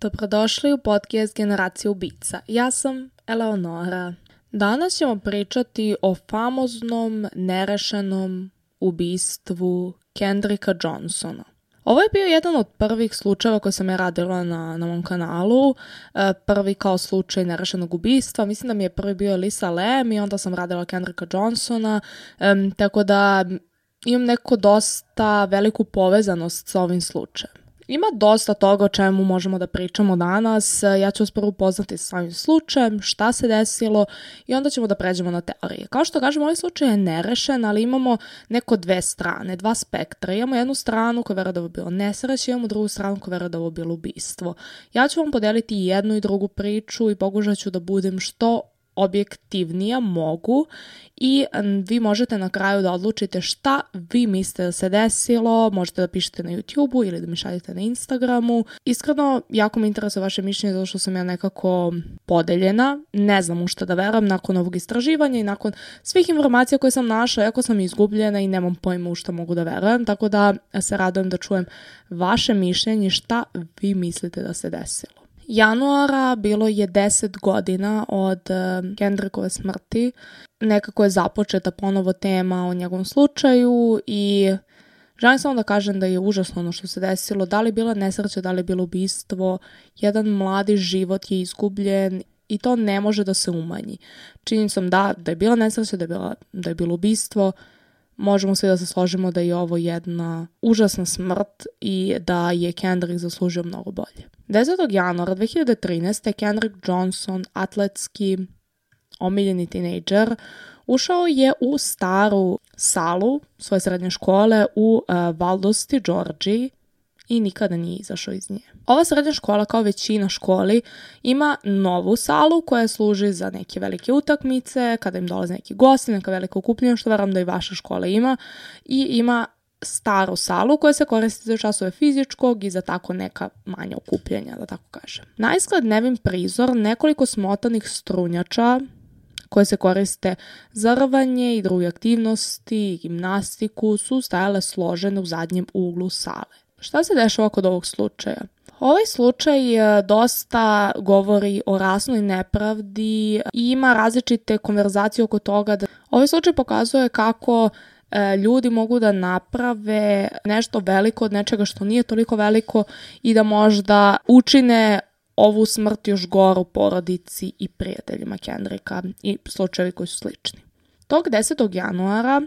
Dobrodošli u podcast Generacija ubica. Ja sam Eleonora. Danas ćemo pričati o famoznom nerešenom ubistvu Kendricka Johnsona. Ovo je bio jedan od prvih slučajeva koje sam ja radila na mom kanalu. Prvi kao slučaj nerešenog ubistva. Mislim da mi je prvi bio Elisa Lam i onda sam radila Kendricka Johnsona. Tako da imam neko dosta veliku povezanost sa ovim slučajem. Ima dosta toga o čemu možemo da pričamo danas. Ja ću vas prvo upoznati sa samim slučajem, šta se desilo i onda ćemo da pređemo na teorije. Kao što kažem, ovaj slučaj je nerešen, ali imamo neko dve strane, dva spektra. Imamo jednu stranu koja veruje da ovo bilo nesreće, imamo drugu stranu koja veruje da ovo bilo ubistvo. Ja ću vam podeliti jednu i drugu priču i pokušat ću da budem što objektivnija mogu i vi možete na kraju da odlučite šta vi mislite da se desilo, možete da pišete na YouTube-u ili da mi šaljete na Instagramu. Iskreno, jako me interesuje vaše mišljenje zato što sam ja nekako podeljena, ne znam u šta da verujem nakon ovog istraživanja i nakon svih informacija koje sam našla, jako sam izgubljena i nemam pojma u šta mogu da verujem, tako da se radujem da čujem vaše mišljenje šta vi mislite da se desilo. Januara bilo je 10 godina od Kendrickove smrti. Nekako je započeta ponovo tema o njegovom slučaju i želim samo da kažem da je užasno ono što se desilo. Da li je bila nesreća, da li je bilo ubistvo, jedan mladi život je izgubljen i to ne može da se umanji. Činjenicom da je bila nesreća, da je bilo ubistvo, možemo svi da se složimo da je ovo jedna užasna smrt i da je Kendrick zaslužio mnogo bolje. 10. januara 2013. Kendrick Johnson, atletski omiljeni tinejdžer, ušao je u staru salu svoje srednje škole u Valdosti, Georgiji i nikada nije izašao iz nje. Ova srednja škola, kao većina školi, ima novu salu koja služi za neke velike utakmice, kada im dolaze neki gosti, neka velika okupljanja, što verujem da i vaša škola ima, i ima staru salu koja se koristi za časove fizičkog i za tako neka manja okupljanja, da tako kažem. Naizgled nevin prizor, nekoliko smotanih strunjača koje se koriste za rvanje i druge aktivnosti i gimnastiku su stajale složene u zadnjem uglu sale. Šta se dešava kod ovog slučaja? Ovaj slučaj dosta govori o rasnoj nepravdi i ima različite konverzacije oko toga. Ovaj slučaj pokazuje kako ljudi mogu da naprave nešto veliko od nečega što nije toliko veliko i da možda učine ovu smrt još goru porodici i prijateljima Kendricka i slučajevi koji su slični. Tog 10. januara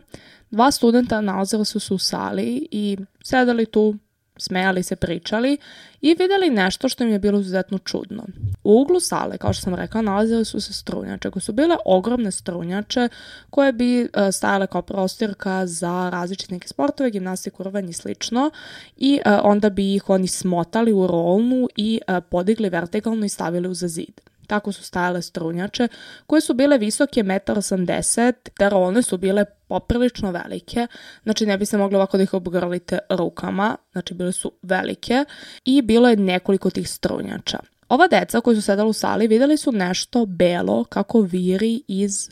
2 studenta nalazili su se u sali i sedali tu, smejali se, pričali i vidjeli nešto što im je bilo izuzetno čudno. U uglu sale, kao što sam rekla, nalazili su se strunjače, koje su bile ogromne strunjače koje bi stajale kao prostorka za različite neke sportove, gimnastiku, rvanje i slično i onda bi ih oni smotali u rolnu i podigli vertikalno i stavili uza zid. Tako su stajale strunjače koje su bile visoke 1,80 m, te rolne su bile poprilično velike, znači ne bi se mogli ovako da ih obgrlite rukama, znači bile su velike i bilo je nekoliko tih strunjača. Ova deca koji su sedali u sali vidjeli su nešto belo kako viri iz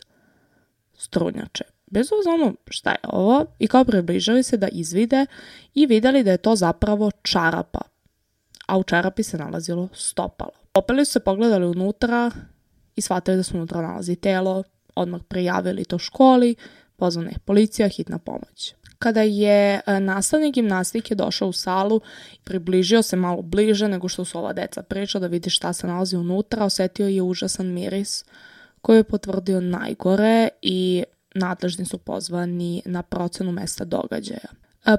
strunjače. Bez obzira šta je ovo i kao približili se da izvide i vidjeli da je to zapravo čarapa, a u čarapi se nalazilo stopalo. Popeli su se, pogledali unutra i shvatili da se unutra nalazi telo, odmah prijavili to školi, pozvana je policija, hitna pomoć. Kada je nastavnik gimnastike došao u salu, približio se malo bliže nego što su ova deca pričala da vidi šta se nalazi unutra, osetio je užasan miris koji je potvrdio najgore i nadležni su pozvani na procenu mesta događaja.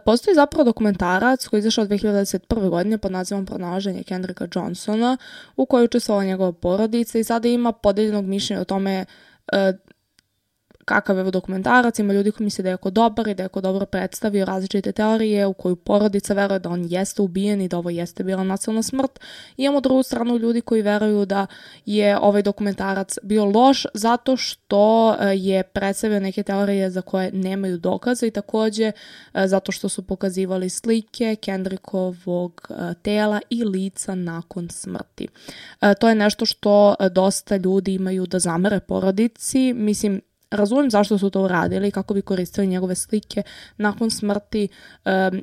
Postoji zapravo dokumentarac koji je izašao od 2021. godine pod nazivom Pronalaženje Kendricka Johnsona u kojoj učestvovala njegova porodica i sada ima podeljenog mišljenja o tome kakav je dokumentarac, ima ljudi koji misle da je jako dobar i da je jako dobro predstavio različite teorije u koju porodica veruje da on jeste ubijen i da ovo jeste bila nasilna smrt. I imamo drugu stranu ljudi koji veruju da je ovaj dokumentarac bio loš zato što je predstavio neke teorije za koje nemaju dokaza i također zato što su pokazivali slike Kendrickovog tela i lica nakon smrti. To je nešto što dosta ljudi imaju da zamere porodici. Mislim, razumijem zašto su to uradili, kako bi koristili njegove slike nakon smrti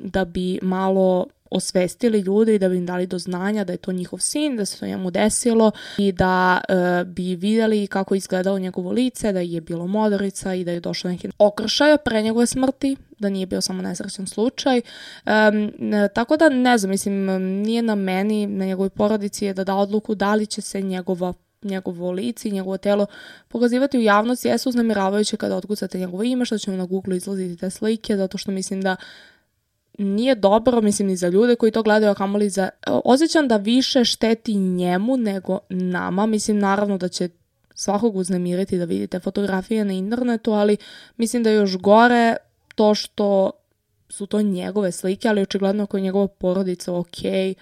da bi malo osvestili ljude i da bi im dali do znanja da je to njihov sin, da se to njemu desilo i da bi vidjeli kako je izgledalo njegovo lice, da je bilo modrica i da je došlo neki okršaj pre njegove smrti, da nije bio samo nesrećan slučaj. Tako da ne znam, mislim, nije na meni, na njegovoj porodici je da odluku da li će se njegovo lice i njegovo telo pokazivati u javnosti. Jesu uznemiravajuće kada otkucate njegovo ime, što će vam na Google izlaziti te slike, zato što mislim da nije dobro, mislim, ni za ljude koji to gledaju, a kamoli za... Osjećam da više šteti njemu nego nama. Mislim, naravno da će svakog uznemiriti da vidite fotografije na internetu, ali mislim da je još gore to što su to njegove slike, ali očigledno ako je njegova porodica okej,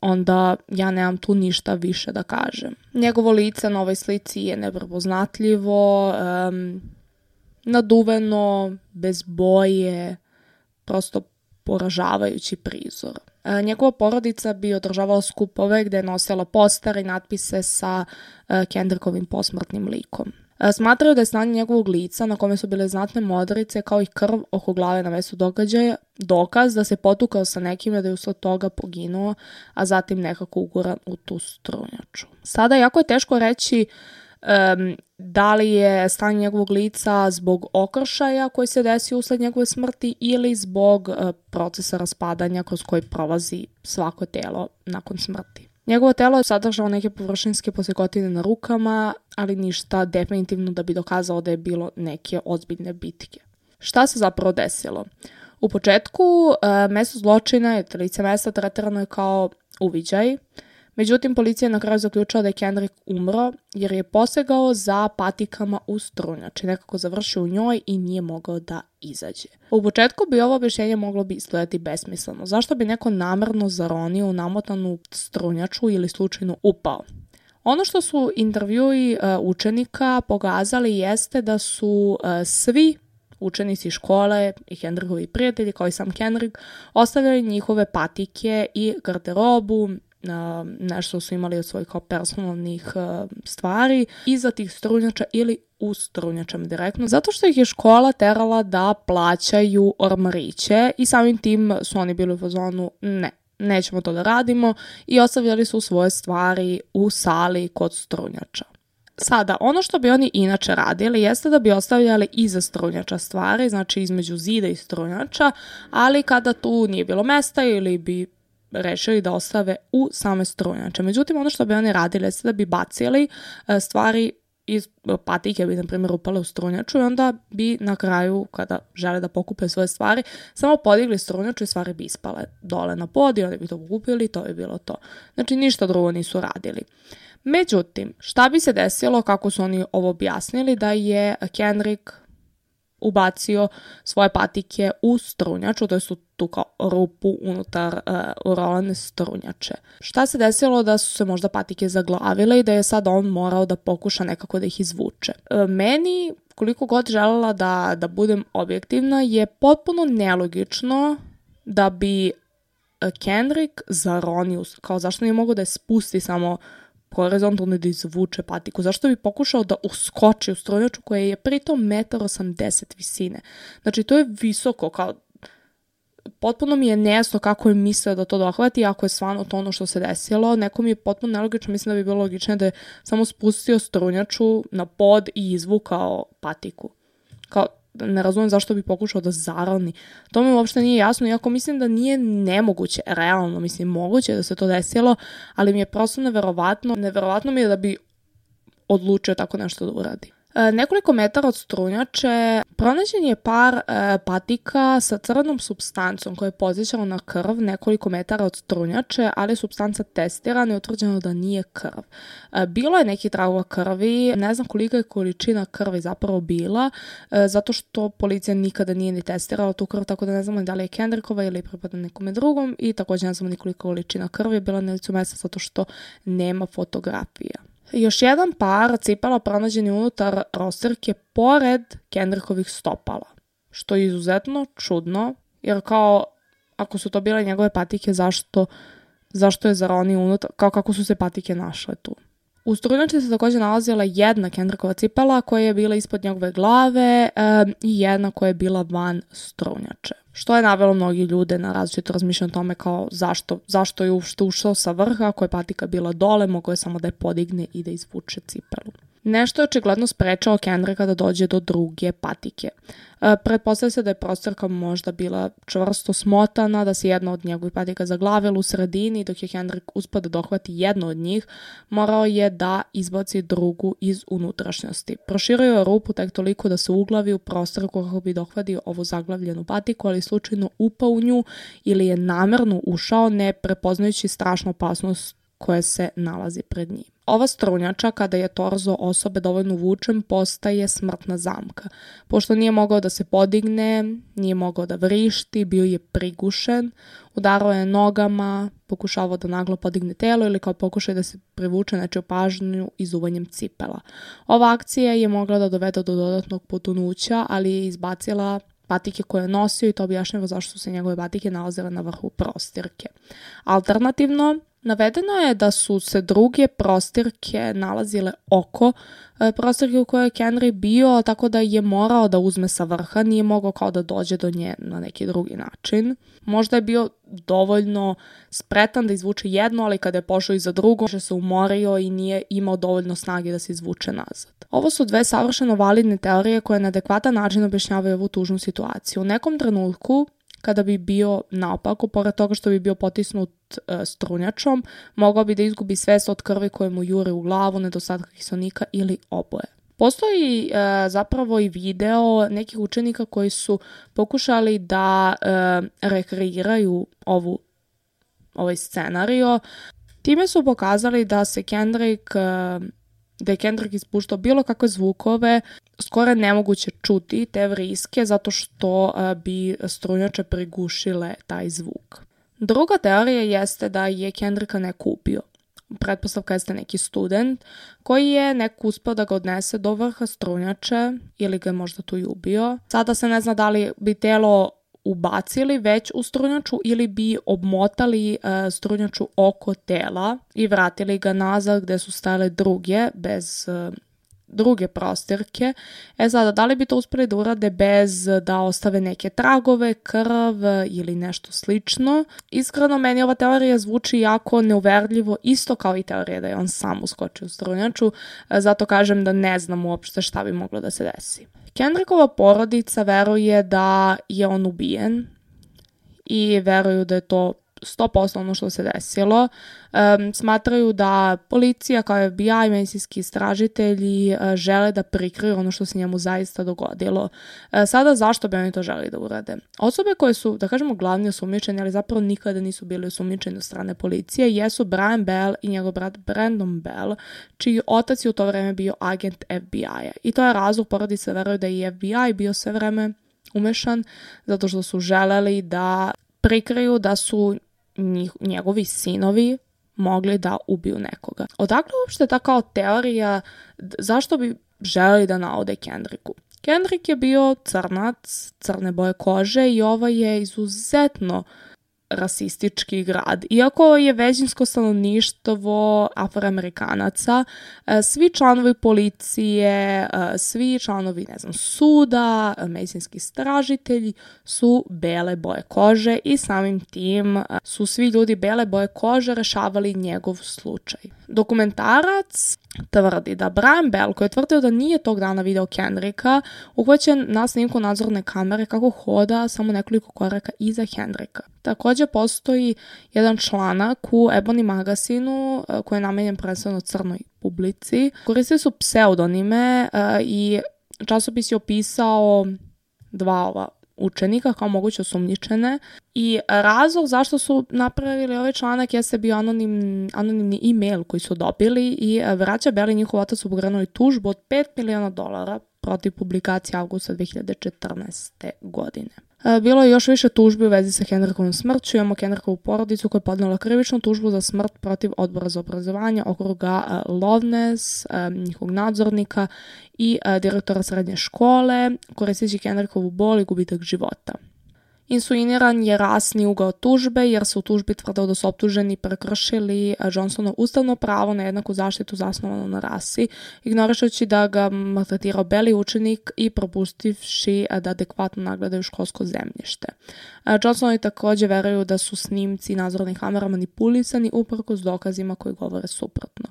onda ja nemam tu ništa više da kažem. Njegovo lice na ovoj slici je neprepoznatljivo, naduveno, bez boje, prosto poražavajući prizor. Njegova porodica bi održavala skupove gde je nosila postere i natpise sa Kendrickovim posmrtnim likom. Smatraju da je stanje njegovog lica, na kome su bile znatne modrice, kao i krv oko glave na mestu događaja, dokaz da se potukao sa nekime, da je usled toga poginuo, a zatim nekako uguran u tu strunjaču. Sada jako je teško reći da li je stanje njegovog lica zbog okršaja koji se desio usled njegove smrti ili zbog procesa raspadanja kroz koji prolazi svako telo nakon smrti. Njegovo telo je sadržalo neke površinske posekotine na rukama, ali ništa definitivno da bi dokazalo da je bilo neke ozbiljne bitke. Šta se zapravo desilo? U početku mesto zločina, lice mesta, tretirano je kao uviđaj. Međutim, policija je na kraju zaključila da je Kendrick umro jer je posegao za patikama u strunjači, nekako završio u njoj i nije mogao da izađe. U početku bi ovo objašnjenje moglo bi izgledati besmisleno. Zašto bi neko namerno zaronio u namotanu strunjaču ili slučajno upao? Ono što su intervjui učenika pokazali jeste da su svi učenici škole i Kendrickovi prijatelji, kao i sam Kendrick, ostavljali njihove patike i garderobu, nešto su imali od svojih personalnih stvari iza tih strunjača ili u strunjačama direktno, zato što ih je škola terala da plaćaju ormariće i samim tim su oni bili u fazonu nećemo to da radimo i ostavljali su svoje stvari u sali kod strunjača. Sada, ono što bi oni inače radili jeste da bi ostavljali iza strunjača stvari, znači između zida i strunjača, ali kada tu nije bilo mesta ili bi rešili da ostave u same strunjače. Međutim, ono što bi oni radili jeste da bi bacili stvari iz patike, bi na primjer upale u strunjaču i onda bi na kraju, kada žele da pokupe svoje stvari, samo podigli strunjaču i stvari bi ispale dole na pod i oni bi to pokupili i to bi bilo to. Znači, ništa drugo nisu radili. Međutim, šta bi se desilo kako su oni ovo objasnili, da je Kendrick ubacio svoje patike u strunjaču, to su tu kao rupu unutar urolane strunjače. Šta se desilo da su se možda patike zaglavile i da je sad on morao da pokuša nekako da ih izvuče. Meni, koliko god želela da budem objektivna, je potpuno nelogično da bi Kendrick zaronio, kao zašto nije mogao da je spusti samo horizontalno da izvuče patiku. Zašto bi pokušao da uskoči u strunjaču koja je pritom 1,80 m visine? Znači, to je visoko, kao potpuno mi je nejasno kako je mislio da to dohvati, ako je stvarno to ono što se desilo. Neko mi je potpuno nelogično, mislim da bi bilo logičnije da je samo spustio strunjaču na pod i izvukao patiku. Kao, ne razumijem zašto bi pokušao da zaroni. To mi uopšte nije jasno, iako mislim da nije nemoguće, realno, mislim, moguće da se to desilo, ali mi je prosto neverovatno. Neverovatno mi je da bi odlučio tako nešto da uradi. Nekoliko metara od strunjače pronađen je par patika sa crnom supstancom koja je podsjećala na krv nekoliko metara od strunjače, ali je supstanca testirana i utvrđeno da nije krv. Bilo je neki tragova krvi, ne znam kolika je količina krvi zapravo bila, zato što policija nikada nije ni testirala tu krv, tako da ne znamo da li je Kendrickova ili pripada nekome drugom i također ne znamo ni kolika količina krvi je bila na licu mesta zato što nema fotografija. Još jedan par cipela pronađen je unutar rostirke pored Kendrickovih stopala, što je izuzetno čudno, jer kao ako su to bile njegove patike, zašto je zaronio unutar, kao kako su se patike našle tu. U strunjači se također nalazila jedna Kendrickova cipela koja je bila ispod njegove glave i jedna koja je bila van strunjače. što je navelo mnogi ljude na različito razmišljanje o tome kao zašto je ušao sa vrha, ako je patika bila dole, mogao je samo da je podigne i da izvuče cipelu. Nešto je očigledno sprečao Kendricka da dođe do druge patike. Pretpostavlja se da je prostorka možda bila čvrsto smotana, da se jedna od njegovih patika zaglavila u sredini, dok je Kendrick uspio da dohvati jednu od njih, morao je da izbaci drugu iz unutrašnjosti. Proširio je rupu tek toliko da se uglavi u prostorku kako bi dohvatio ovu zaglavljenu patiku, ali slučajno upao u nju ili je namerno ušao, ne prepoznajući strašnu opasnost koja se nalazi pred njim. Ova strunjača, kada je torzo osobe dovoljno vučen, postaje smrtna zamka. Pošto nije mogao da se podigne, nije mogao da vrišti, bio je prigušen, udarao je nogama, pokušavao da naglo podigne telo ili kao pokušaj da se privuče nečiju pažnju izuvanjem cipela. Ova akcija je mogla da dovede do dodatnog potonuća, ali je izbacila patike koje je nosio i to objašnjava zašto su se njegove patike nalazile na vrhu prostirke. Alternativno, navedeno je da su se druge prostirke nalazile oko prostirke u kojoj je Kendrick bio, tako da je morao da uzme sa vrha, nije mogao kao da dođe do nje na neki drugi način. Možda je bio dovoljno spretan da izvuče jedno, ali kada je pošao i za drugo, se umorio i nije imao dovoljno snage da se izvuče nazad. Ovo su dve savršeno validne teorije koje na adekvatan način objašnjavaju ovu tužnu situaciju. U nekom trenutku, kada bi bio naopako, pored toga što bi bio potisnut strunjačom, mogao bi da izgubi svest od krvi koje mu jure u glavu, nedostatka kiselnika ili oboje. Postoji zapravo i video nekih učenika koji su pokušali da rekreiraju ovaj scenario. Time su pokazali da je Kendrick ispuštao bilo kakve zvukove, skoro nemoguće čuti te vriske zato što bi strunjače prigušile taj zvuk. Druga teorija jeste da je Kendricka neko ubio. Pretpostavka jeste neki student koji je neko uspeo da ga odnese do vrha strunjače ili ga je možda tu i ubio. Sada se ne zna da li bi telo ubacili već u strunjaču ili bi obmotali strunjaču oko tela i vratili ga nazad gde su stale bez druge prostirke. Sada, da li bi to uspeli da urade bez da ostave neke tragove, krv ili nešto slično? Iskreno, meni ova teorija zvuči jako neuverljivo, isto kao i teorija da je on sam uskočio u strunjaču, zato kažem da ne znam uopšte šta bi moglo da se desi. Kendrickova porodica veruje da je on ubijen i veruju da je to 100% ono što se desilo. Smatraju da policija kao FBI i medicinski istražitelji žele da prikriju ono što se njemu zaista dogodilo. Sada zašto bi oni to želi da urade? Osobe koje su, da kažemo, glavni osumnjičeni, ali zapravo nikada nisu bili osumnjičeni od strane policije, jesu Brian Bell i njegov brat Brandon Bell, čiji otac je u to vreme bio agent FBI-a. I to je razlog, porodice veruje da je FBI bio sve vreme umešan zato što su želeli da prikriju da su njegovi sinovi mogli da ubiju nekoga. Odakle uopšte ta kao teorija zašto bi želeli da naude Kendricku? Kendrick je bio crnac, crne boje kože i ovo je izuzetno rasistički grad. Iako je većinsko stanovništvo Afroamerikanaca, svi članovi policije, svi članovi, suda, medicinski istražitelji su bele boje kože i samim tim su svi ljudi bele boje kože rešavali njegov slučaj. Dokumentarac tvrdi da Brian Bell, koji je tvrdio da nije tog dana video Kendricka, uhvaćen na snimku nadzorne kamere kako hoda samo nekoliko koraka iza Kendricka. Također postoji jedan članak u Ebony magazinu koji je namenjen prvenstveno crnoj publici. Koristili su pseudonime i časopis je opisao dva učenika kao moguće osumnjičene i razlog zašto su napravili ovaj članak jeste bio anonimni e-mail koji su dobili i braća Bell i njihov otac su pokrenuli tužbu od $5 miliona protiv publikacije avgusta 2014. godine. Bilo je još više tužbi u vezi sa Kendrickovom smrću. Imamo Kendrickovu porodicu koja je podnela krivičnu tužbu za smrt protiv odbora za obrazovanje okruga Loveness, njihovog nadzornika i direktora srednje škole, koristeći Kendrickovu bol i gubitak života. Insuiniran je rasni ugao tužbe jer se u tužbi tvrdilo da su optuženi prekršili Johnsonov ustavno pravo na jednaku zaštitu zasnovanu na rasi, ignorišući da ga maltretirao beli učenik i propustivši da adekvatno nagledaju školsko zemljište. Johnsonovi također veruju da su snimci nadzornih kamera manipulisani uprkos dokazima koji govore suprotno.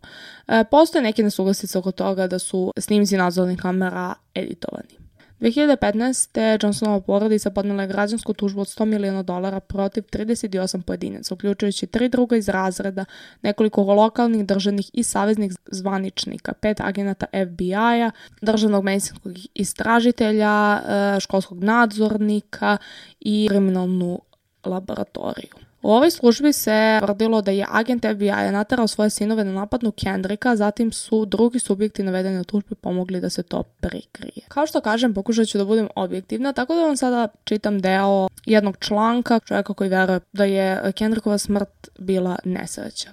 Postoje neke nesuglasice oko toga da su snimci nadzornih kamera editovani. 2015. Johnsonova porodica podnela je građansku tužbu od $100 miliona protiv 38 pojedinaca, uključujući 3 druga iz razreda, nekoliko lokalnih, državnih i saveznih zvaničnika, 5 agenata FBI-a, državnog medicinskog istražitelja, školskog nadzornika i kriminalnu laboratoriju. U ovoj službi se tvrdilo da je agent FBI-a naterao svoje sinove na napadnu Kendricka, zatim su drugi subjekti navedeni u tužbi pomogli da se to prikrije. Kao što kažem, pokušat ću da budem objektivna, tako da vam sada čitam deo jednog članka čovjeka koji veruje da je Kendrickova smrt bila nesreća.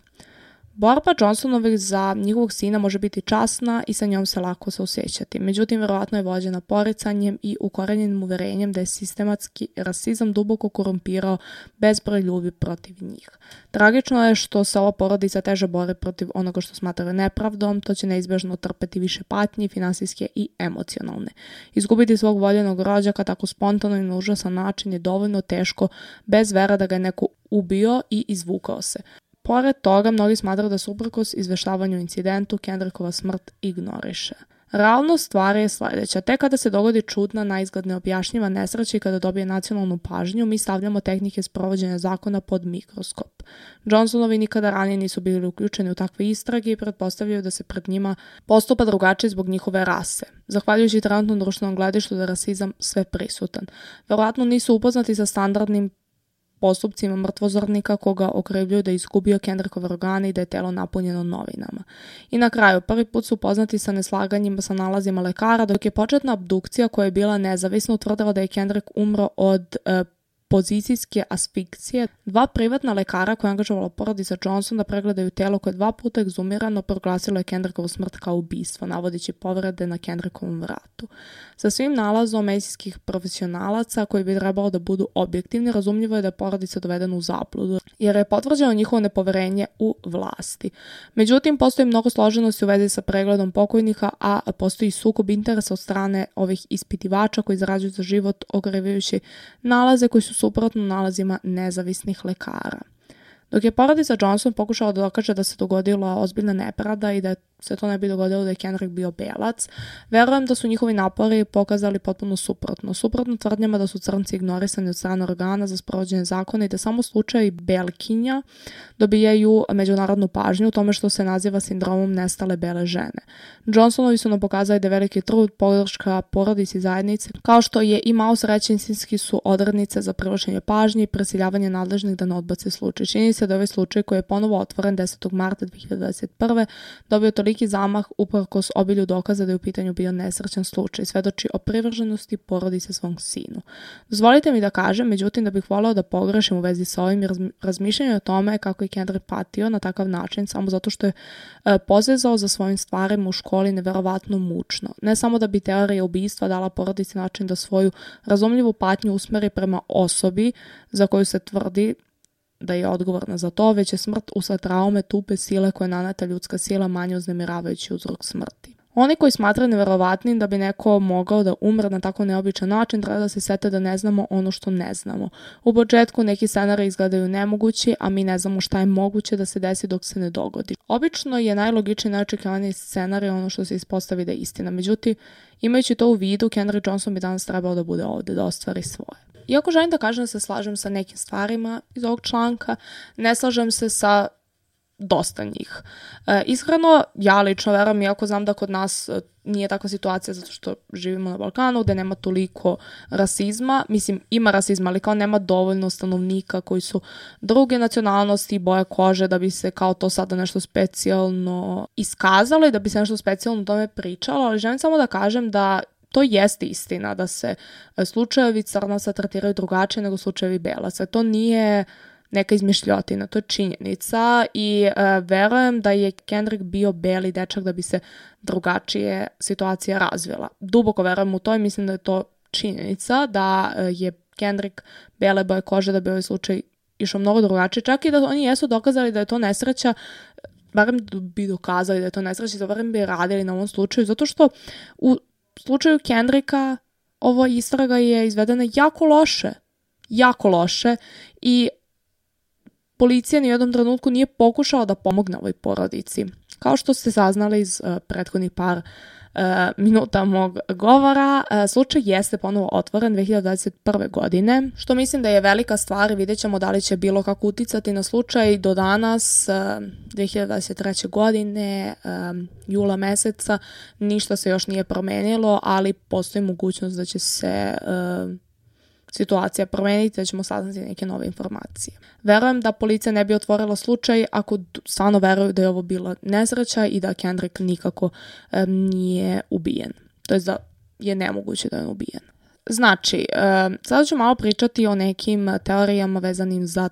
Borba Johnsonovih za njihovog sina može biti časna i sa njom se lako osjećati. Međutim, verovatno je vođena poricanjem i ukorenjenim uverenjem da je sistematski rasizam duboko korumpirao bezbroj ljudi protiv njih. Tragično je što se ova porodica teže bori protiv onoga što smatraju nepravdom, to će neizbježno trpeti više patnji, finansijske i emocionalne. Izgubiti svog voljenog rođaka tako spontano i na užasan način je dovoljno teško bez vera da ga je neko ubio i izvukao se. Pored toga, mnogi smatraju da se uprkos izveštavanju incidentu Kendrickova smrt ignoriše. Realnost stvari je sljedeća. Tek kada se dogodi čudna, naizgled neobjašnjiva nesreća i kada dobije nacionalnu pažnju, mi stavljamo tehnike sprovođenja zakona pod mikroskop. Johnsonovi nikada ranije nisu bili uključeni u takve istrage i pretpostavljaju da se pred njima postupa drugačije zbog njihove rase. Zahvaljujući trenutnom društvenom gledištu da je rasizam sve prisutan. Verovatno nisu upoznati sa standardnim postupcima mrtvozornika koga okrivljuju da je izgubio Kendrickove organe i da je telo napunjeno novinama. I na kraju, prvi put su upoznati sa neslaganjima sa nalazima lekara, dok je početna abdukcija koja je bila nezavisna utvrdila da je Kendrick umro od pozicijske asfikcije. 2 privatna lekara koja je angažovala porodica Johnson da pregledaju telo koje je 2 puta egzumirano, proglasilo je Kendrickovu smrt kao ubistvo, navodeći povrede na Kendrickovom vratu. Sa svim nalazom medicinskih profesionalaca koji bi trebalo da budu objektivni, razumljivo je da je porodica dovedena u zabludu, jer je potvrđeno njihovo nepoverenje u vlasti. Međutim, postoji mnogo složenosti u vezi sa pregledom pokojnika, a postoji sukob interesa od strane ovih ispitivača koji zarađuju za život okrivljujući nalaze koji su suprotno nalazima nezavisnih lekara. Dok je porodica Johnson pokušala da dokaže da se dogodila ozbiljna nepravda i da se to ne bi dogodilo da je Kendrick bio belac, verujem da su njihovi napori pokazali potpuno suprotno tvrdnjama da su crnci ignorisani od strane organa za sprovođenje zakona i da samo slučajevi belkinja dobijaju međunarodnu pažnju u tome što se naziva sindromom nestale bele žene. Johnsonovi su nam pokazali da je veliki trud, podrška porodici zajednice, kao što je i malo srećinski su odrednice za privlačenje pažnje i prisiljavanje nadležnih da ne odbace slučaj. Čini se da ovaj slučaj koji je ponovo otvoren 10. marta 2021. dobio toliki zamah uprkos obilju dokaza da je u pitanju bio nesrećan slučaj, svedoči o privrženosti porodice svom sinu. Dozvolite mi da kažem, međutim, da bih voleo da pogrešim u vezi sa ovim razmišljanjem o tome kako je Kendrick patio na takav način samo zato što je pozezao za svojim stvarima u školi neverovatno mučno. Ne samo da bi teorija ubistva dala porodici način da svoju razumljivu patnju usmeri prema osobi za koju se tvrdi da je odgovorna za to, već je smrt usled traume tupe sile koje naneta ljudska sila manje uznemiravajući uzrok smrti. Oni koji smatraju neverovatnim da bi neko mogao da umre na tako neobičan način, treba da se sete da ne znamo ono što ne znamo. U početku neki scenariji izgledaju nemogući, a mi ne znamo šta je moguće da se desi dok se ne dogodi. Obično je najlogičniji i najočekivaniji scenarij ono što se ispostavi da je istina. Međutim, imajući to u vidu, Kendrick Johnson bi danas trebao da bude ovdje, da ostvari svoje. Iako želim da kažem da se slažem sa nekim stvarima iz ovog članka, ne slažem se sa dosta njih. Iskreno, ja lično verujem, iako znam da kod nas nije takva situacija zato što živimo na Balkanu gdje nema toliko rasizma, mislim ima rasizma, ali kao nema dovoljno stanovnika koji su druge nacionalnosti i boje kože da bi se kao to sada nešto specijalno iskazalo i da bi se nešto specijalno o tome pričalo, ali želim samo da kažem da to jeste istina da se slučajevi crnaca tretiraju drugačije nego slučajevi belaca. To nije neka izmišljotina, to je činjenica i verujem da je Kendrick bio beli dečak da bi se drugačije situacija razvila. Duboko verujem u to i mislim da je to činjenica da je Kendrick bele boje kože, da bi ovaj slučaj išao mnogo drugačije. Čak i da oni jesu dokazali da je to nesreća, barem bi dokazali da je to nesreća, da barem bi radili na ovom slučaju, zato što u slučaju Kendricka ova istraga je izvedena jako loše i policija ni u jednom trenutku nije pokušala da pomogne ovoj porodici. Kao što ste saznali iz prethodnih par minuta mog govora, slučaj jeste ponovo otvoren 2021. godine, što mislim da je velika stvar. Vidjet ćemo da li će bilo kako uticati na slučaj. Do danas, 2023. godine, jula meseca, ništa se još nije promenilo, ali postoji mogućnost da će se situacija promeniti, da ćemo saznati neke nove informacije. Verujem da policija ne bi otvorila slučaj ako stvarno veruju da je ovo bila nesreća i da Kendrick nikako nije ubijen. To je da je nemoguće da je ubijen. Znači, sada ću malo pričati o nekim teorijama vezanim za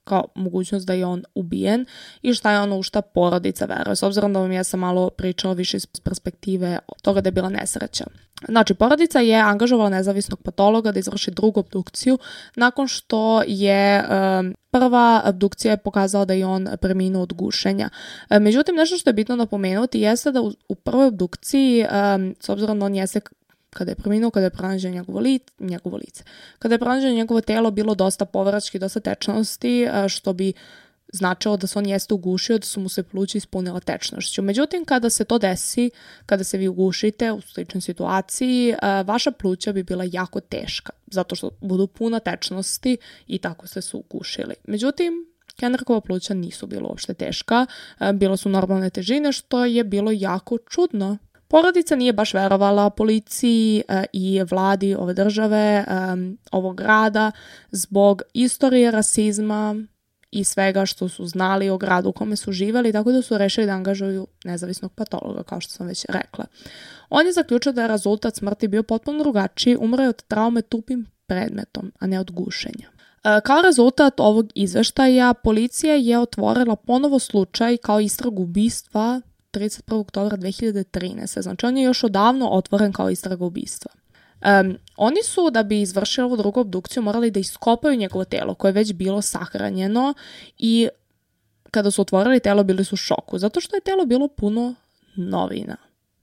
kao mogućnost da je on ubijen i šta je ono u šta porodica veruje. S obzirom da vam ja sam malo pričala više iz perspektive toga da je bila nesreća. Znači, porodica je angažovala nezavisnog patologa da izvrši drugu obdukciju nakon što je prva obdukcija je pokazala da je on preminuo od gušenja. Međutim, nešto što je bitno napomenuti jeste da u prvoj obdukciji, s obzirom da on jeste kada je preminuo, kada je pronađeno njegovo lice. Kada je pronađeno njegovo telo, bilo dosta površki, dosta tečnosti, što bi značilo da se on jeste ugušio, da su mu se pluća ispunila tečnošću. Međutim, kada se to desi, kada se vi ugušite u sličnoj situaciji, vaša pluća bi bila jako teška, zato što budu puna tečnosti i tako ste se ugušili. Međutim, Kendrickova pluća nisu bilo uopšte teška, bilo su normalne težine, što je bilo jako čudno. Porodica nije baš verovala policiji i vladi ove države, ovog grada, zbog istorije rasizma i svega što su znali o gradu u kome su živeli, tako da su rešili da angažuju nezavisnog patologa, kao što sam već rekla. On je zaključio da je rezultat smrti bio potpuno drugačiji, umro je od traume tupim predmetom, a ne od gušenja. Kao rezultat ovog izveštaja, policija je otvorila ponovo slučaj kao istragu ubistva 31. oktobra 2013. Znači, on je još odavno otvoren kao istraga ubistva. Oni su, da bi izvršili ovu drugu obdukciju, morali da iskopaju njegovo telo, koje je već bilo sahranjeno i kada su otvorili telo, bili su u šoku, zato što je telo bilo puno novina.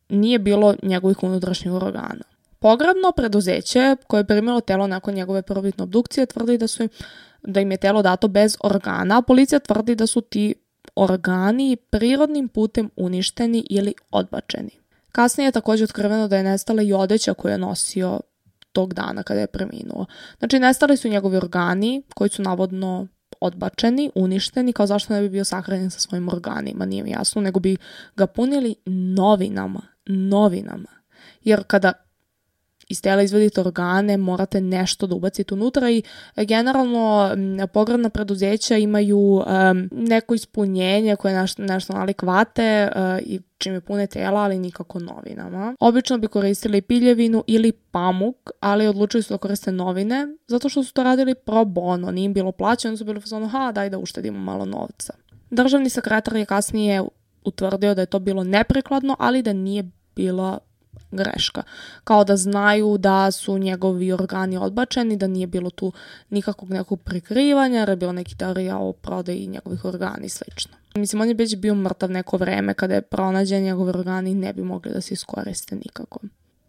Nije bilo njegovih unutrašnjih organa. Pogrebno preduzeće koje je primilo telo nakon njegove prvobitne obdukcije tvrdi da im je telo dato bez organa, a policija tvrdi da su ti organi prirodnim putem uništeni ili odbačeni. Kasnije je također otkriveno da je nestala i odeća koju je nosio tog dana kada je preminuo. Znači, nestali su njegovi organi koji su navodno odbačeni, uništeni, kao zašto ne bi bio sahranjen sa svojim organima, nije mi jasno, nego bi ga punili novinama. Jer kada iz tela izvedite organe, morate nešto da ubacite unutra i generalno pogrebna preduzeća imaju neko ispunjenje koje nešto nalik vate i čime pune tela, ali nikako novinama. Obično bi koristili piljevinu ili pamuk, ali odlučili su da koriste novine, zato što su to radili pro bono, nije im bilo plaćeno, su bili fazonu, daj da uštedimo malo novca. Državni sekretar je kasnije utvrdio da je to bilo neprikladno, ali da nije bila greška. Kao da znaju da su njegovi organi odbačeni, da nije bilo tu nikakvog nekog prikrivanja, jer je bilo neki teorija o prodaji njegovih organi i slično. Mislim, on je već bio mrtav neko vreme kada je pronađen, njegovi organi ne bi mogli da se iskoriste nikako.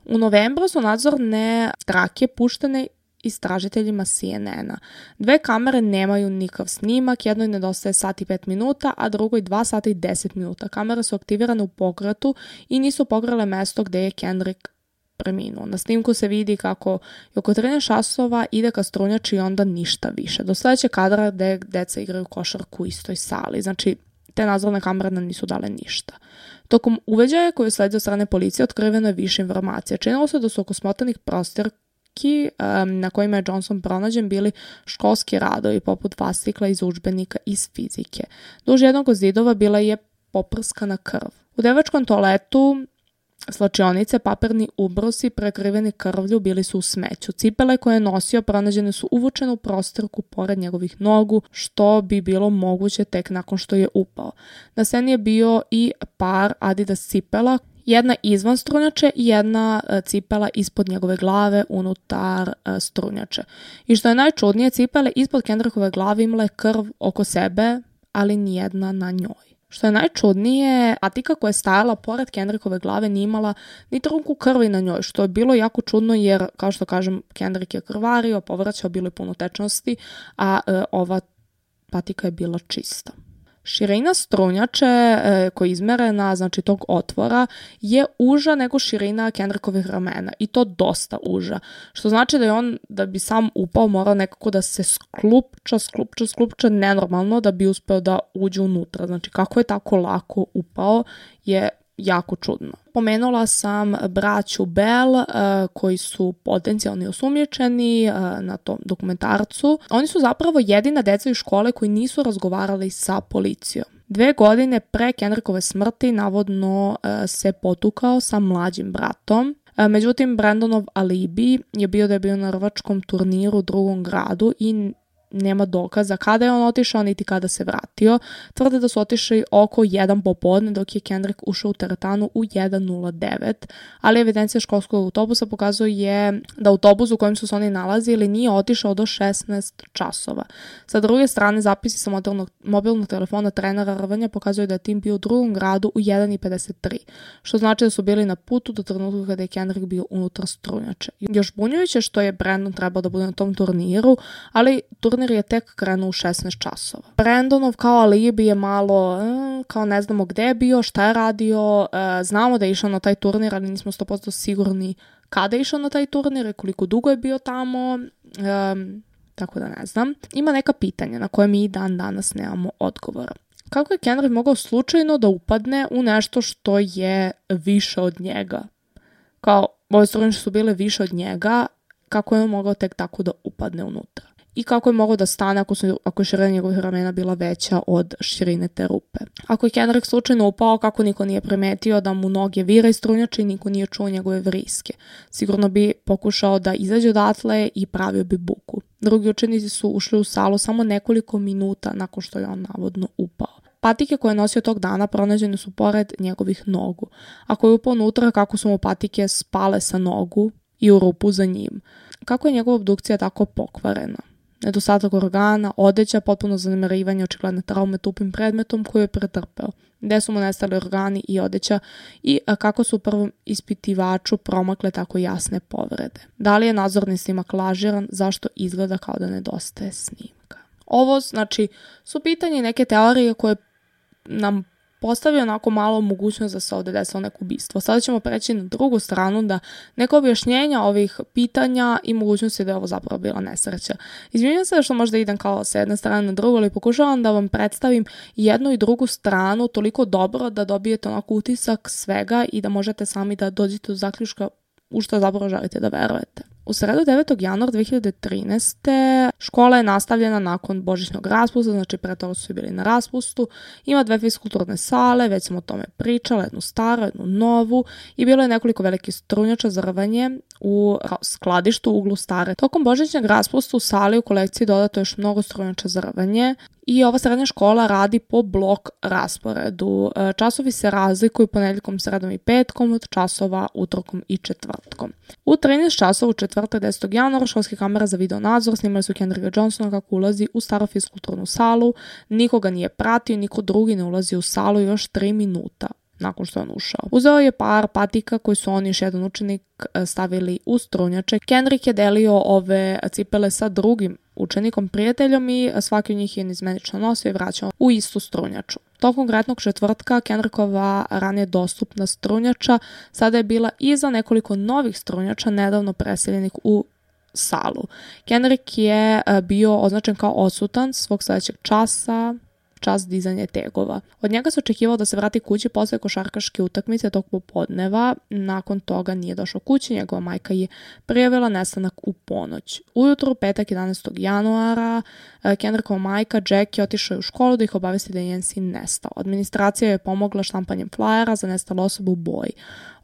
U novembru su nadzorne trake puštene istražiteljima CNN-a. 2 kamere nemaju nikakav snimak, jednoj nedostaje sat i 5 minuta, a drugoj 2 sata i 10 minuta. Kamere su aktivirane u pokretu i nisu pogrele mesto gde je Kendrick preminuo. Na snimku se vidi kako je oko 13 časova ide ka strunjači i onda ništa više. Do sledećeg kadra gde deca igraju košarku u istoj sali. Znači, te nadzorne kamere nam nisu dale ništa. Tokom uveđaja koji je sledio od strane policije otkriveno je više informacija. Činilo se da su oko smotanih prostorki na kojima je Johnson pronađen bili školski radovi poput fascikla iz udžbenika iz fizike. Duž jednog od zidova bila je poprskana krv. U devačkom toaletu slačionice, papirni ubrosi prekriveni krvlju bili su u smeću. Cipele koje je nosio pronađene su uvučene u prostorku pored njegovih nogu, što bi bilo moguće tek nakon što je upao. Na sceni je bio i par Adidas cipela Jedna izvan strunjače i jedna cipela ispod njegove glave unutar strunjače. I što je najčudnije, cipele ispod Kendrickove glave imale krv oko sebe, ali nijedna na njoj. Što je najčudnije, patika koja je stajala pored Kendrickove glave nije imala ni trunku krvi na njoj, što je bilo jako čudno jer, kao što kažem, Kendrick je krvario, povraćao, bilo je puno tečnosti, a ova patika je bila čista. Širina strunjače koja je izmerena, znači tog otvora, je uža nego širina Kendrickovih ramena i to dosta uža. Što znači da je on, da bi sam upao, morao nekako da se sklupča nenormalno da bi uspeo da uđe unutra. Znači kako je tako lako upao je jako čudno. Pomenula sam braću Bell koji su potencijalni osumnjičeni na tom dokumentarcu. Oni su zapravo jedina deca iz škole koji nisu razgovarali sa policijom. 2 godine pre Kendrickove smrti navodno se potukao sa mlađim bratom. Međutim, Brandonov alibi je bio da je bio na rvačkom turniru u drugom gradu i nema dokaza kada je on otišao niti kada se vratio. Tvrde da su otišli oko 1 popodne dok je Kendrick ušao u teretanu u 1:09, ali evidencija školskog autobusa pokazuje da autobus u kojem su se oni nalazili nije otišao do 16 časova. Sa druge strane, zapisi sa mobilnog telefona trenera rvanja pokazuju da je tim bio u drugom gradu u 1:53, što znači da su bili na putu do trenutka kada je Kendrick bio unutar strunjače. Još bunjujuće što je Brandon trebao da bude na tom turniru, ali turnir je tek krenuo u 16 časova. Brandonov kao alibi je malo, kao ne znamo gde je bio, šta je radio, znamo da je išao na taj turnir, ali nismo 100% sigurni kada je išao na taj turnir i koliko dugo je bio tamo, tako da ne znam. Ima neka pitanja na koje mi i dan danas nemamo odgovora. Kako je Kendrick mogao slučajno da upadne u nešto što je više od njega? Kao, ove strunjače su bile više od njega, kako je on mogao tek tako da upadne unutra? I kako je mogao da stane ako je širina njegovih ramena bila veća od širine te rupe. Ako je Kendrick slučajno upao, kako niko nije primetio da mu noge vira iz strunjače i niko nije čuo njegove vriske. Sigurno bi pokušao da izađe odatle i pravio bi buku. Drugi učenici su ušli u salu samo nekoliko minuta nakon što je on navodno upao. Patike koje je nosio tog dana pronađene su pored njegovih nogu. Ako je upao unutra, kako su mu patike spale sa nogu i u rupu za njim. Kako je njegova obdukcija tako pokvarena? Nedostatak organa, odeća, potpuno zanemarivanje očigledne traume tupim predmetom koju je pretrpeo. Gde su mu nestali organi i odeća i kako su u prvom ispitivaču promakle tako jasne povrede. Da li je nadzorni snimak lažiran, zašto izgleda kao da nedostaje snimka? Ovo, znači, su pitanje i neke teorije koje nam postavio onako malo mogućnost da se ovdje desilo neko ubistvo. Sada ćemo preći na drugu stranu, da neko objašnjenja ovih pitanja i mogućnosti da je ovo zapravo bila nesreća. Izvinjam se što možda idem kao s jedne strane na drugu, ali pokušavam da vam predstavim jednu i drugu stranu toliko dobro da dobijete onako utisak svega i da možete sami da dođete do zaključka u što zapravo želite da verujete. U sredu 9. januara 2013. škola je nastavljena nakon božićnog raspusta, znači pre toga su bili na raspustu. Ima 2 fiskulturne sale, već sam o tome pričala, jednu staru, jednu novu i bilo je nekoliko velikih strunjača za rvanje u skladištu u uglu stare. Tokom božićnog raspusta u sali u kolekciji dodato još mnogo strunjača za rvanje i ova srednja škola radi po blok rasporedu. Časovi se razlikuju ponedjeljkom, sredom i petkom od časova utorkom i četvrtkom. U 13 časova u četvrtak 10. januara školske kamere za video nadzor snimali su Kendricka Johnsona kako ulazi u staru fiskulturnu salu. Nikoga nije pratio, niko drugi ne ulazi u salu još 3 minuta nakon što je on ušao. Uzeo je par patika koji su on i još jedan učenik stavili u strunjače. Kendrick je delio ove cipele sa drugim učenikom, prijateljom i svaki od njih je izmenično nosio i vraćao u istu strunjaču. Tokom konkretnog četvrtka Kendrickova ranije dostupna strunjača sada je bila iza nekoliko novih strunjača nedavno preseljenih u salu. Kendrick je bio označen kao odsutan svog sljedećeg časa, čas dizanja tegova. Od njega se očekivao da se vrati kući posle košarkaške utakmice tog popodneva. Nakon toga nije došao kući, njegova majka je prijavila nestanak u ponoć. Ujutru, petak 11. januara, Kendrickova majka Jack je otišao u školu da ih obavesti da je njen sin nestao. Administracija je pomogla štampanjem flajera za nestalu osobu u boji.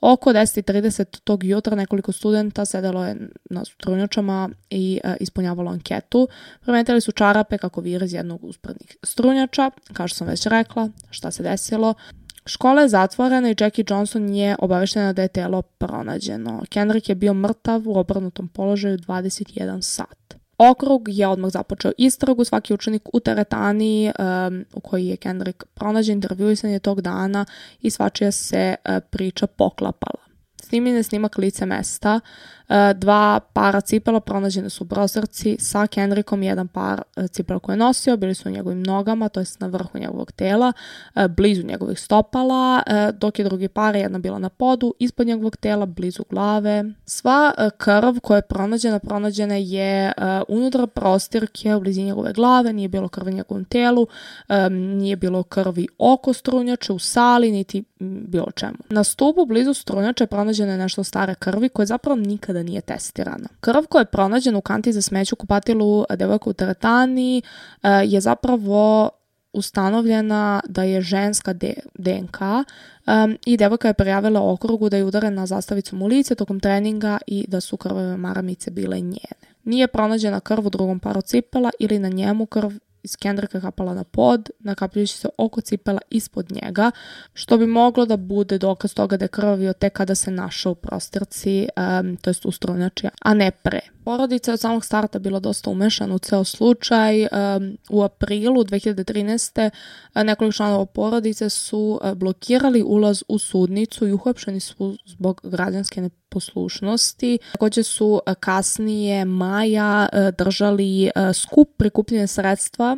Oko 10:30 tog jutra nekoliko studenta sedelo je na strunjačama i ispunjavalo anketu. Primetili su čarape kako vire iz jednog usprednih strunjača. Kao što sam već rekla, šta se desilo? Škola je zatvorena i Jackie Johnson je obaveštena da je telo pronađeno. Kendrick je bio mrtav u obrnutom položaju 21 sat. Okrug je odmah započeo istragu, svaki učenik u teretani u kojoj je Kendrick pronađen, intervjuisan je tog dana i svačija se priča poklapala. Snimljen je snimak lice mesta, 2 para cipela pronađene su u prozorci sa Kendrickom, jedan par cipela koje je nosio, bili su u njegovim nogama, to jest na vrhu njegovog tela, blizu njegovih stopala, dok je drugi par, jedna bila na podu, ispod njegovog tela, blizu glave. Sva krv koja je pronađena je unutar prostirke u blizini njegove glave, nije bilo krvi u njegovom telu, nije bilo krvi oko strunjače, u sali, niti bilo čemu. Na stupu blizu strunjače pronađeno je nešto stare krvi koje zapravo nikada nije testirana. Krv koja je pronađena u kanti za smeće u kupatilu devojka u teretani je zapravo ustanovljena da je ženska DNK i devojka je prijavila okrugu da je udarena zastavicom u lice tokom treninga i da su krvave maramice bile njene. Nije pronađena krv u drugom paru cipela ili na njemu krv iz Kendricka kapala na pod, nakapljujući se oko cipela ispod njega, što bi moglo da bude dokaz toga da je krvavio tek kada se našao u prostirci, to jest u strunjači, a ne pre. Porodica je od samog starta bila dosta umešana u ceo slučaj. U aprilu 2013. nekoliko članova porodice su blokirali ulaz u sudnicu i uhapšeni su zbog građanske neposlušnosti. Također su kasnije maja držali skup prikupljene sredstva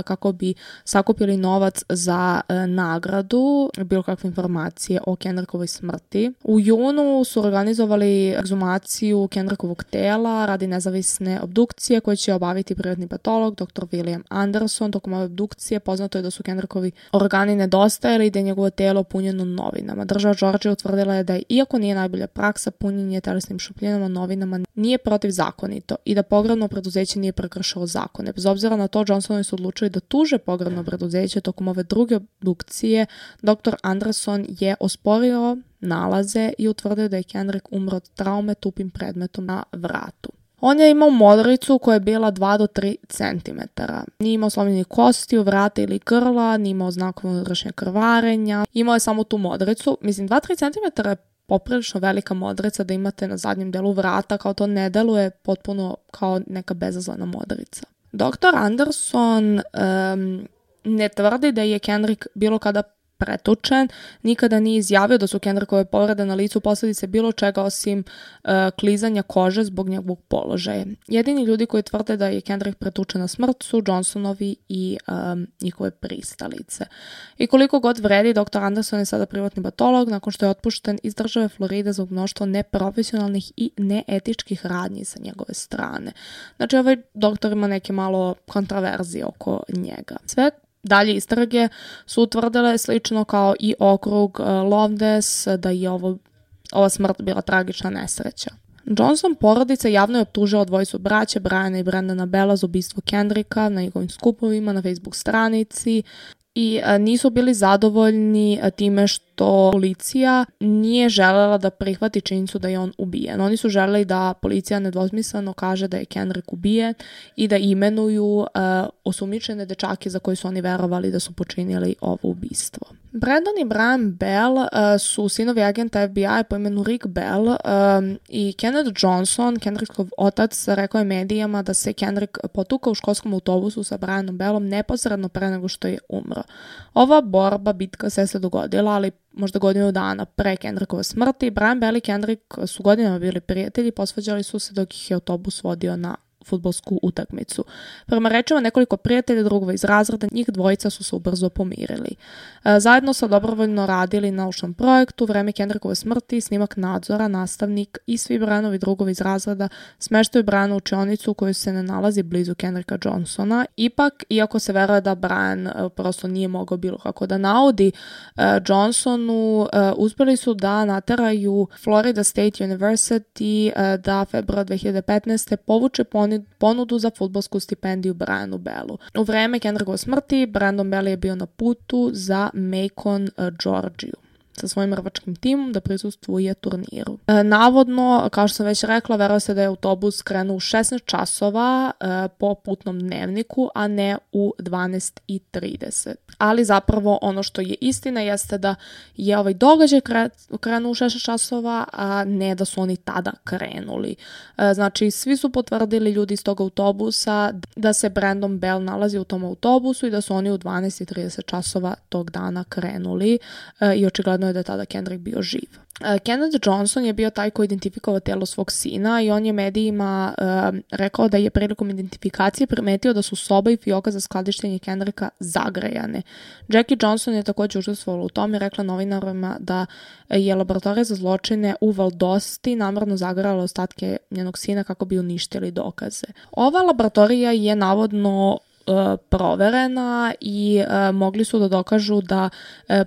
kako bi sakupili novac za nagradu, bilo kakve informacije o Kendrickovoj smrti. U junu su organizovali ekshumaciju Kendrickovog tela radi nezavisne obdukcije koje će obaviti privatni patolog dr. William Anderson. Tokom ove obdukcije poznato je da su Kendrickovi organi nedostajali i da je njegovo telo punjeno novinama. Država Georgia utvrdila je da iako nije najbolja praksa, punjenje telesnim šupljinama novinama nije protivzakonito i da pogrebno preduzeće nije prekršilo zakone. Bez obzira na to, Johnsonovi su odlučili da tuže pogrebno preduzeće. Tokom ove druge obdukcije dr. Anderson je osporio nalaze i utvrdio da je Kendrick umro od traume tupim predmetom na vratu. On je imao modricu koja je bila 2 do 3 cm. Nije imao slomljenih kostiju, vrata ili grla, nije imao znakova unutrašnjeg krvarenja. Imao je samo tu modricu. Mislim, 2-3 cm je poprilično velika modrica da imate na zadnjem delu vrata, kao to ne deluje potpuno kao neka bezazlena modrica. Dr. Anderson ne tvrdi da je Kendrick bilo kada pretučen, nikada nije izjavio da su Kendrickove povrede na licu posljedice bilo čega osim klizanja kože zbog njegovog položaja. Jedini ljudi koji tvrde da je Kendrick pretučen na smrt su Johnsonovi i njihove pristalice. I koliko god vredi, dr. Anderson je sada privatni patolog nakon što je otpušten iz države Floride zbog mnoštva neprofesionalnih i neetičkih radnji sa njegove strane. Znači, ovaj doktor ima neke malo kontraverzije oko njega. Sve dalje istrage su utvrdile slično kao i okrug Lowndes da je ova smrt bila tragična nesreća. Johnson porodica javno je optužila dvojicu braće, Briana i Brendana Bella, za ubistvo Kendricka na njegovim skupovima na Facebook stranici i nisu bili zadovoljni time što policija nije želela da prihvati činjenicu da je on ubijen. Oni su želeli da policija nedvosmisleno kaže da je Kendrick ubijen i da imenuju osumnjičene dečake za koje su oni verovali da su počinili ovo ubistvo. Brandon i Brian Bell su sinovi agenta FBI po imenu Rick Bell i Kenneth Johnson, Kendrickov otac, rekao je medijama da se Kendrick potukao u školskom autobusu sa Brianom Bellom neposredno pre nego što je umro. Ova bitka se dogodila, ali možda godinu dana pre Kendrickove smrti. Brian Bell i Kendrick su godinama bili prijatelji, posvađali su se dok ih je autobus vodio na fudbalsku utakmicu. Prema rečima nekoliko prijatelja drugova iz razreda, njih dvojica su se ubrzo pomirili. Zajedno su dobrovoljno radili na naučnom projektu. Vreme Kendrickove smrti, snimak nadzora, nastavnik i svi Brianovi drugovi iz razreda smeštaju Briana u učionicu u kojoj se ne nalazi blizu Kendricka Johnsona. Ipak, iako se veruje da Brian prosto nije mogao bilo kako da naudi Johnsonu, uspjeli su da nateraju Florida State University da februara 2015. povuče ponudu za fudbalsku stipendiju Brianu Bellu. U vreme Kendrickove smrti Brandon Bell je bio na putu za Macon, Georgiju. sa svojim rvačkim timom da prisustvuje turniru. Navodno, kao što sam već rekla, veruje se da je autobus krenuo u 16 časova po putnom dnevniku, a ne u 12:30. Ali zapravo ono što je istina jeste da je ovaj događaj krenuo u 16 časova, a ne da su oni tada krenuli. Znači, svi su potvrdili ljudi iz tog autobusa da se Brandon Bell nalazi u tom autobusu i da su oni u 12:30 časova tog dana krenuli i očigledno je da je tada Kendrick bio živ. Kenneth Johnson je bio taj koji identifikovao telo svog sina i on je medijima rekao da je prilikom identifikacije primetio da su soba i fioka za skladištenje Kendricka zagrejane. Jackie Johnson je također učestvovala u tome i rekla novinarima da je laboratorija za zločine u Valdosti namjerno zagrejala ostatke njenog sina kako bi uništili dokaze. Ova laboratorija je navodno proverena i mogli su da dokažu da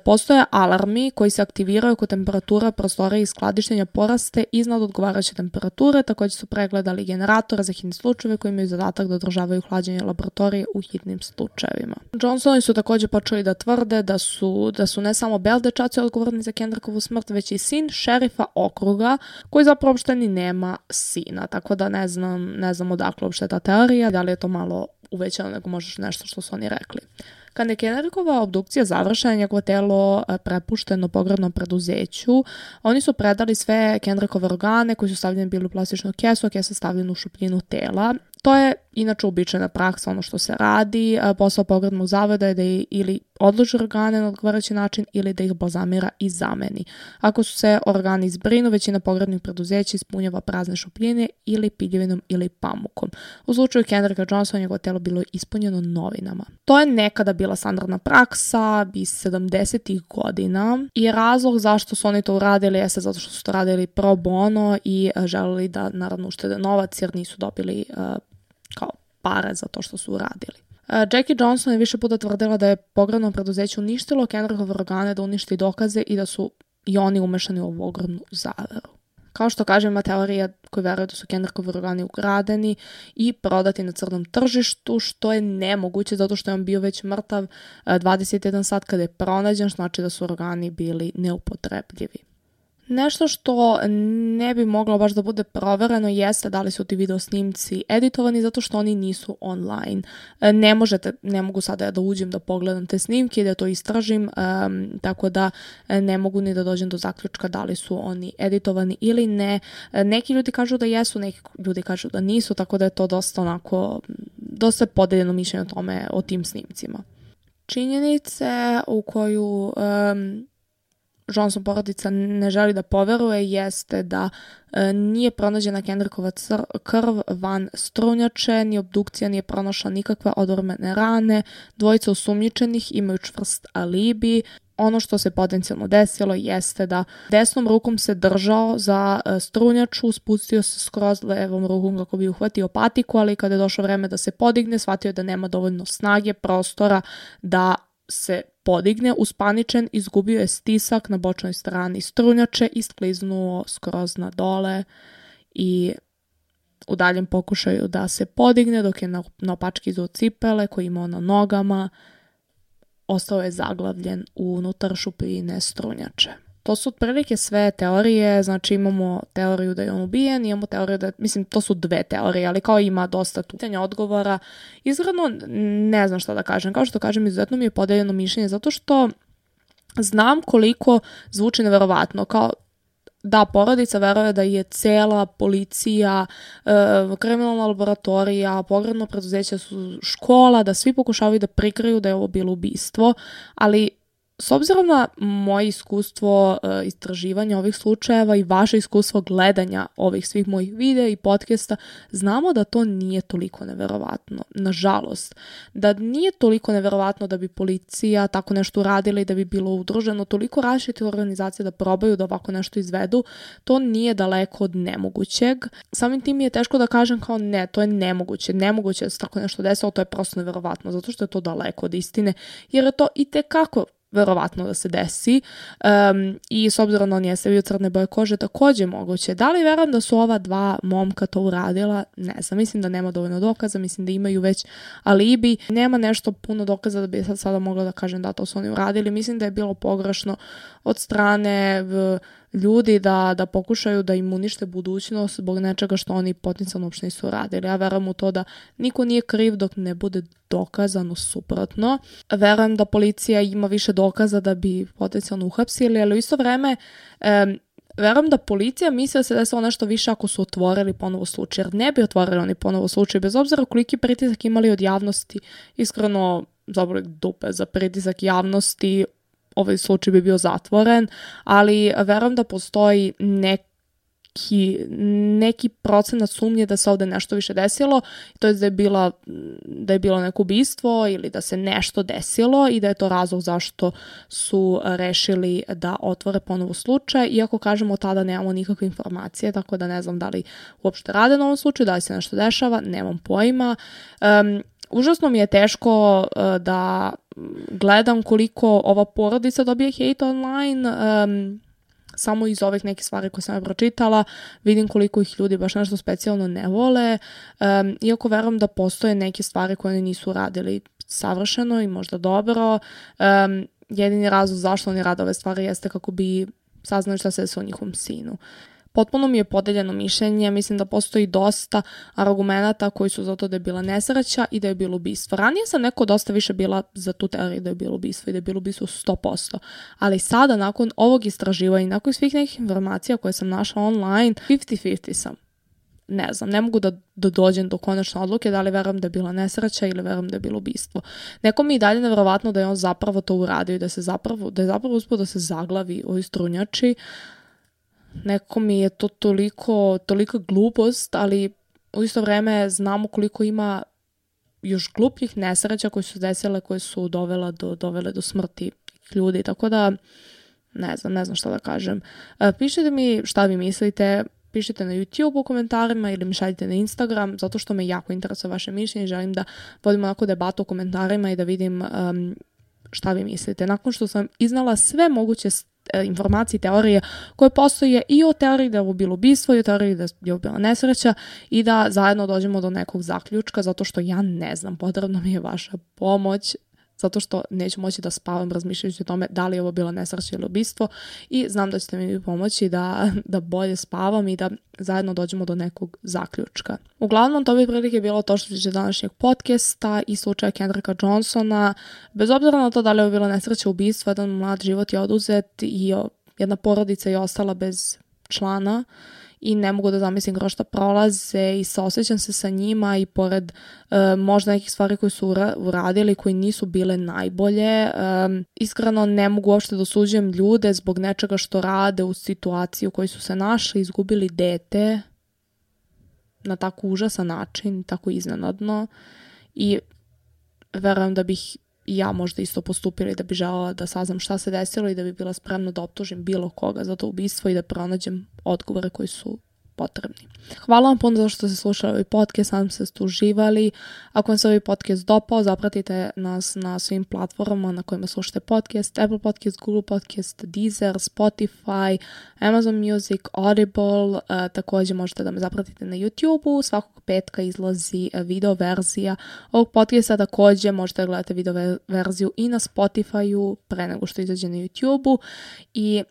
postoje alarmi koji se aktiviraju ako temperatura prostorija i skladištenja poraste iznad odgovarajuće temperature. Također su pregledali generatora za hitne slučajeve koji imaju zadatak da održavaju hlađenje laboratorije u hitnim slučajevima. Johnsoni su također počeli da tvrde da su ne samo Bell dečaci odgovorni za Kendrickovu smrt, već i sin šerifa okruga koji zapravo uopšte ni nema sina. Tako da ne znam odakle uopšte ta teorija, da li je to malo uvećano nego možeš nešto što su oni rekli. Kad je Kendrickova obdukcija završena, njegovo telo prepušteno pogrebnom preduzeću, oni su predali sve Kendrickove organe koji su stavljeni bili u plastičnu kesu, a kesa stavljena u šupljinu tela. To je inače uobičajena praksa, ono što se radi. Posao pogrebnog zavoda je da ili odloži organe na odgovarajući način ili da ih balzamira i zameni. Ako su se organi zbrinu, većina pogrebnih preduzeća ispunjava prazne šupljine ili piljevinom ili pamukom. U slučaju Kendricka Johnsona njegovo telo bilo je ispunjeno novinama. To je nekada bila standardna praksa iz 70-ih godina i razlog zašto su oni to uradili jeste zato što su to radili pro bono i želeli da naravno uštede novac jer nisu dobili kao pare za to što su uradili. Jackie Johnson je više puta tvrdila da je pogrebno preduzeće uništilo Kendrickove organe da uništi dokaze i da su i oni umešani u ovu ogromnu zaveru. Kao što kažem, ima teorija koji veruju da su Kendrickovi organi ukradeni i prodati na crnom tržištu, što je nemoguće zato što je on bio već mrtav 21 sat kada je pronađen, što znači da su organi bili neupotrebljivi. Nešto što ne bi moglo baš da bude provereno jeste da li su ti video snimci editovani zato što oni nisu online. Ne mogu sada da uđem da pogledam te snimke i da to istražim, tako da ne mogu ni da dođem do zaključka da li su oni editovani ili ne. Neki ljudi kažu da jesu, neki ljudi kažu da nisu, tako da je to dosta podeljeno mišljenje o tim snimcima. Činjenice u koju Johnson porodica ne želi da poveruje jeste da nije pronađena Kendrickova krv van strunjače, ni obdukcija nije pronašla nikakve odormene rane, dvojica osumnjičenih imaju čvrst alibi. Ono što se potencijalno desilo jeste da desnom rukom se držao za strunjaču, spustio se skroz levom rukom kako bi uhvatio patiku, ali kada je došlo vreme da se podigne, shvatio je da nema dovoljno snage, prostora da se podigne, uspaničen, izgubio je stisak na bočnoj strani strunjače i skliznuo skroz na dole i u daljem pokušaju da se podigne dok je na opački izuo cipele koje imao na nogama, ostao je zaglavljen unutar šupljine strunjače. To su otprilike sve teorije, znači imamo teoriju da je on ubijen, imamo teoriju da, to su dve teorije, ali kao ima dosta tu pitanja odgovora. Izgledno ne znam šta da kažem, kao što kažem, izuzetno mi je podeljeno mišljenje, zato što znam koliko zvuči neverovatno, kao da porodica veruje da je cela policija, kriminalna laboratorija, pogrebno preduzeće su škola, da svi pokušavaju da prikriju da je ovo bilo ubistvo, ali s obzirom na moje iskustvo istraživanja ovih slučajeva i vaše iskustvo gledanja ovih svih mojih videa i podcasta, znamo da to nije toliko neverovatno. Nažalost, da nije toliko neverovatno da bi policija tako nešto uradila i da bi bilo udruženo toliko različitih organizacija da probaju da ovako nešto izvedu, to nije daleko od nemogućeg. Samim tim je teško da kažem kao ne, to je nemoguće. Nemoguće da se tako nešto desilo, to je prosto neverovatno, zato što je to daleko od istine, jer je to itekako verovatno da se desi i s obzirom da on jeste bio crne boje kože, takođe moguće. Da li verujem da su ova dva momka to uradila? Ne znam, mislim da nema dovoljno dokaza, mislim da imaju već alibi. Nema nešto puno dokaza da bi sada mogla da kažem da to su oni uradili. Mislim da je bilo pogrešno od strane ljudi da pokušaju da im unište budućnost zbog nečega što oni potencijalno uopšte nisu radili. Ja verujem u to da niko nije kriv dok ne bude dokazano suprotno. Verujem da policija ima više dokaza da bi potencijalno uhapsili, ali u isto vreme verujem da policija misli da se desilo nešto više ako su otvorili ponovo slučaj, jer ne bi otvorili oni ponovo slučaj, bez obzira koliki pritisak imali od javnosti. Iskreno, zaboli dupe za pritisak javnosti, ovaj slučaj bi bio zatvoren, ali verujem da postoji neki procenat sumnje da se ovde nešto više desilo, to je da je bilo neko ubistvo ili da se nešto desilo i da je to razlog zašto su rešili da otvore ponovo slučaj, iako kažemo tada nemamo nikakve informacije, tako da ne znam da li uopšte rade na ovom slučaju, da li se nešto dešava, nemam pojma. Užasno mi je teško da gledam koliko ova porodica dobije hejt online, samo iz ovih nekih stvari koje sam pročitala, vidim koliko ih ljudi baš nešto specijalno ne vole, iako verujem da postoje neke stvari koje oni nisu radili savršeno i možda dobro. Jedini razlog zašto oni rade ove stvari jeste kako bi saznali šta se desilo njihovom sinu. Potpuno mi je podeljeno mišljenje, mislim da postoji dosta argumenata koji su za to da je bila nesreća i da je bilo ubistvo. Ranije sam neko dosta više bila za tu teoriju da je bilo ubistvo i da je bilo ubistvo 100%, ali sada nakon ovog istraživanja i nakon svih nekih informacija koje sam našla online, 50-50 sam. Ne znam, ne mogu da dođem do konačne odluke da li verujem da je bila nesreća ili verujem da je bilo ubistvo. Neko mi je dalje nevjerovatno da je on zapravo to uradio i da je zapravo uspio da se zaglavi u strunjači. Neko mi je to tolika glupost, ali u isto vreme znamo koliko ima još glupljih nesreća koje su desile, koje su dovele do smrti ljudi, tako da ne znam šta da kažem. Pišite mi šta vi mislite, pišite na YouTube u komentarima ili mi šaljite na Instagram, zato što me jako interesuje vaše mišljenje i želim da vodimo onako debatu u komentarima i da vidim šta vi mislite. Nakon što sam iznala sve moguće informacije i teorije koje postoje i o teoriji da je ovo bilo ubistvo i o teoriji da je ovo bila nesreća i da zajedno dođemo do nekog zaključka, zato što ja ne znam, potrebna mi je vaša pomoć, zato što neću moći da spavam razmišljajući o tome da li je ovo bila nesreća ili ubistvo i znam da ćete mi pomoći da bolje spavam i da zajedno dođemo do nekog zaključka. Uglavnom, to bi prilike bilo to što se tiče današnjeg podcasta i slučaja Kendricka Johnsona. Bez obzira na to da li je ovo bila nesreća, ubistvo, jedan mlad život je oduzet i jedna porodica je ostala bez člana i ne mogu da zamislim kroz šta prolaze i saosećam se sa njima i pored možda nekih stvari koje su uradili koji nisu bile najbolje. Iskreno ne mogu uopšte da osuđujem ljude zbog nečega što rade u situaciji u kojoj su se našli, izgubili dete na tako užasan način, tako iznenadno i verujem da bih ja možda isto postupila i da bi želela da saznam šta se desilo i da bi bila spremna da optužim bilo koga za to ubistvo i da pronađem odgovore koji su potrebni. Hvala vam puno za što ste slušali ovaj podcast, nadam se da ste uživali. Ako vam se ovaj podcast dopao, zapratite nas na svim platformama na kojima slušate podcast, Apple Podcast, Google Podcast, Deezer, Spotify, Amazon Music, Audible, također možete da me zapratite na YouTube-u, svakog petka izlazi video verzija ovog podcasta, također možete da gledate video verziju i na Spotify-u pre nego što izađe na YouTube-u i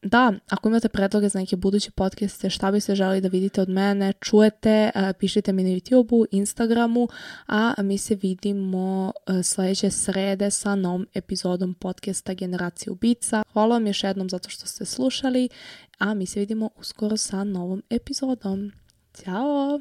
da, ako imate predloge za neke buduće podcaste, šta biste želeli da vidite od mene, čujete, pišite mi na YouTube-u, Instagramu, a mi se vidimo sledeće srede sa novom epizodom podcasta Generacija ubica. Hvala vam još jednom zato što ste slušali, a mi se vidimo uskoro sa novom epizodom. Ćao!